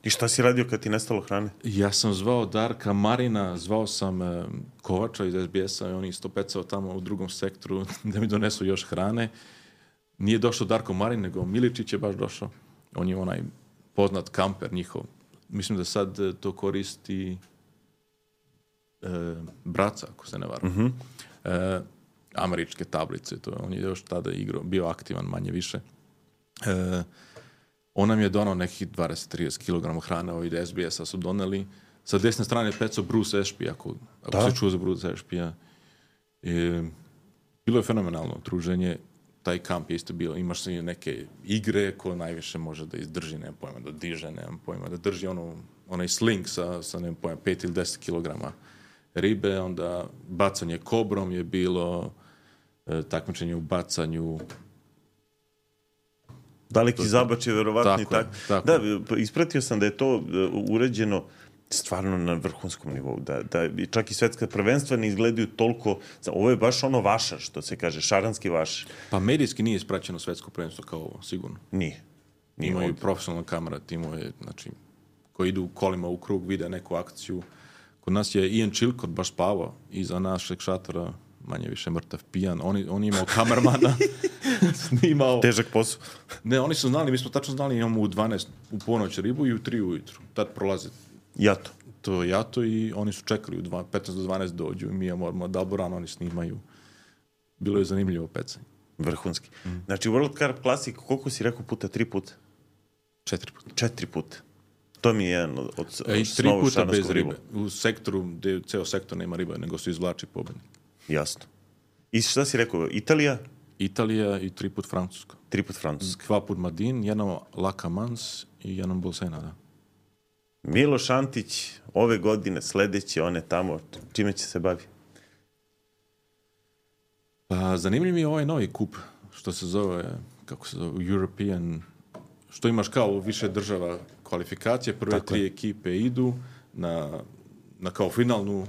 I šta si radio kad ti nestalo hrane? Ja sam zvao Darka Marina, zvao sam e, Kovača iz S B S-a i on isto pecao tamo u drugom sektoru da mi donesu još hrane. Nije došao Darko Marin, nego Miličić je baš došao. On je onaj poznat kamper njihov. Mislim da sad e, to koristi e, Braca, ako se ne varam. Uh-huh. E, američke tablice, to on je još tada igrao, bio aktivan manje više. E, On nam je donao nekih dvadeset do trideset kilograma hrane, ovi S B S-a su doneli. Sa desne strane je pecao Bruce Ashby, ako, ako se čuo za Bruce Ashby-a. E, bilo je fenomenalno druženje. Taj kamp je isto bilo. Imaš se neke igre ko najviše može da izdrži, nemam pojma, da diže, nemam pojma, da drži ono, onaj sling sa, sa nemam pojma, pet ili deset kilograma ribe. Onda bacanje kobrom je bilo, e, takmičenje u bacanju. Daleki zabač je verovatno i tako. tako. Da, ispratio sam da je to uređeno stvarno na vrhunskom nivou. Da, da čak i svetska prvenstva ne izgledaju toliko... Ovo je baš ono vašar, što se kaže, šaranski vašar. Pa medijski nije ispraćeno svetsko prvenstvo kao ovo, sigurno. Nije. Nije Imaju ovdje. profesionalna kamera, timove, znači, koji idu kolima u krug, vide neku akciju. Kod nas je Ian Chilcott baš spavao iza našeg šatora, manje više mrtav, pijan. On, on je imao kamermana, snimao... Težak posao. Ne, oni su znali, mi smo tačno znali, imamo u dvanaest u ponoć ribu i u tri ujutru. Tad prolaze Jato. to jato i oni su čekali u dva, petnaest do dvanaest dođu i mi imamo odmah Daboran, oni snimaju. Bilo je zanimljivo pecanje. Vrhunski. Mm. Znači, World Cup Classic, koliko si rekao puta? Tri puta? Četiri puta. Četiri puta. To mi je jedan od, od, od E, I tri puta bez ribu. ribe. U sektoru, gde ceo sektor nema riba, nego se izvlači pobednik. Jasno. I šta si rekao? Italija? Italija i tri put Francuska. Tri put Francuska. Dva put Madin, jednom Lacamans i jednom Bolsena, da. Miloš Antić, ove godine, sledeće, one tamo, čime će se bavi? Pa, zanimljiv mi je ovaj novi kup, što se zove, kako se zove, European, što imaš kao u više država kvalifikacije, prve Tako tri je. ekipe idu na, na kao finalnu,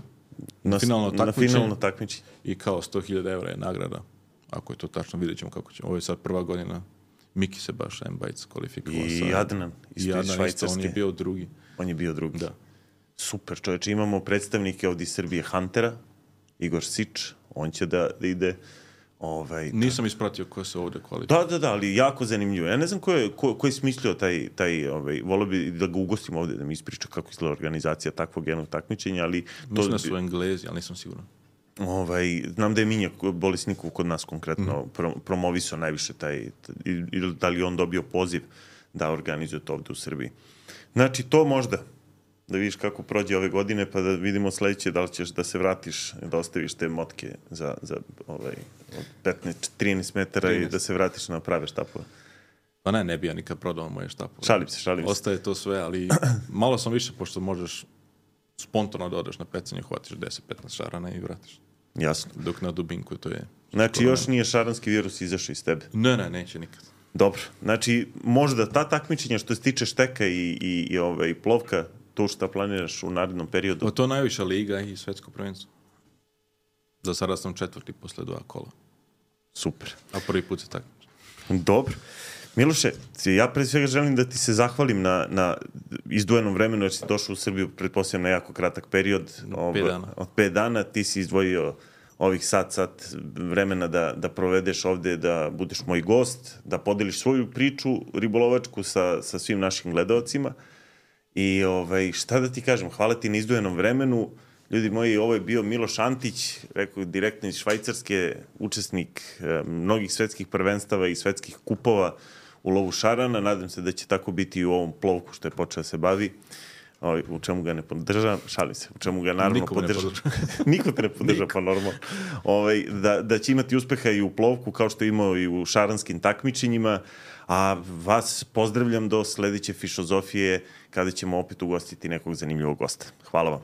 Na, finalno na takmičenje. finalno takmičenje. I kao sto hiljada evra je nagrada. Ako je to tačno, vidjet ćemo kako će. Ovo je sad prva godina. Miki se baš Embajc kvalifikovao. I sa, Adnan, isto i iz Adnan isto, Švajcarske. on je bio drugi. On je bio drugi. Da. Super, čoveče. Imamo predstavnike ovdje iz Srbije Huntera, Igor Sič, on će da, da ide. Ovaj, Nisam ispratio ko se ovdje kvalifikuje. Da, da, da, ali jako zanimljivo. Ja ne znam ko je, ko, ko je smislio taj, taj ovaj, volio bi da ga ugostim ovdje, da mi ispriča kako izgleda organizacija takvog jednog takmičenja, ali... To, Mislim da su Englezi, ali nisam siguran. Ovaj, znam da je Minja Bolesnikov kod nas konkretno mm. pro, promovisao najviše taj, ili da li on dobio poziv da organizuje to ovdje u Srbiji. Znači, to možda, da vidiš kako prođe ove godine, pa da vidimo sledeće da li ćeš da se vratiš, da ostaviš te motke za, za ovaj, od petnaest trinaest metara trinaest i da se vratiš na prave štapove. Pa ne, ne bi ja nikad prodao moje štapove. Šalim se, šalim se. Ostaje to sve, ali malo sam više, pošto možeš spontano da odeš na pecanje, hvatiš deset petnaest šarana i vratiš. Jasno. Dok na dubinku to je... Znači, još nije šaranski virus izašao iz tebe. Ne, ne, neće nikad. Dobro. Znači, možda ta takmičenja što se tiče šteka i, i, i ovaj, plovka, to šta planiraš u narednom periodu? O, to je najviša liga i svetsko prvenstvo. Za sada sam četvrti posle dva kola. Super. A prvi put se takmičim. Dobro. Miloše, ja pre svega želim da ti se zahvalim na, na izdvojenom vremenu, jer si došao u Srbiju, pretpostavljam, na jako kratak period. Od pet dana. Od pet dana ti si izdvojio ovih sat, sat vremena da, da provedeš ovde, da budeš moj gost, da podeliš svoju priču ribolovačku sa, sa svim našim gledalcima. I ovaj, šta da ti kažem, hvala ti na izdvojenom vremenu. Ljudi moji, ovo je bio Miloš Antić, rekao direktno iz Švajcarske, učesnik eh, mnogih svetskih prvenstava i svetskih kupova u lovu šarana. Nadam se da će tako biti i u ovom plovku što je počeo da se bavi. Ovaj, u čemu ga ne podržam, šalim se, u čemu ga naravno Niko podržam. ne Niko te ne podrža, pa normalno. Ovaj, da, da će imati uspeha i u plovku, kao što je imao i u šaranskim takmičenjima. A vas pozdravljam do sledeće Fišozofije, kada ćemo opet ugostiti nekog zanimljivog gosta. Hvala vam.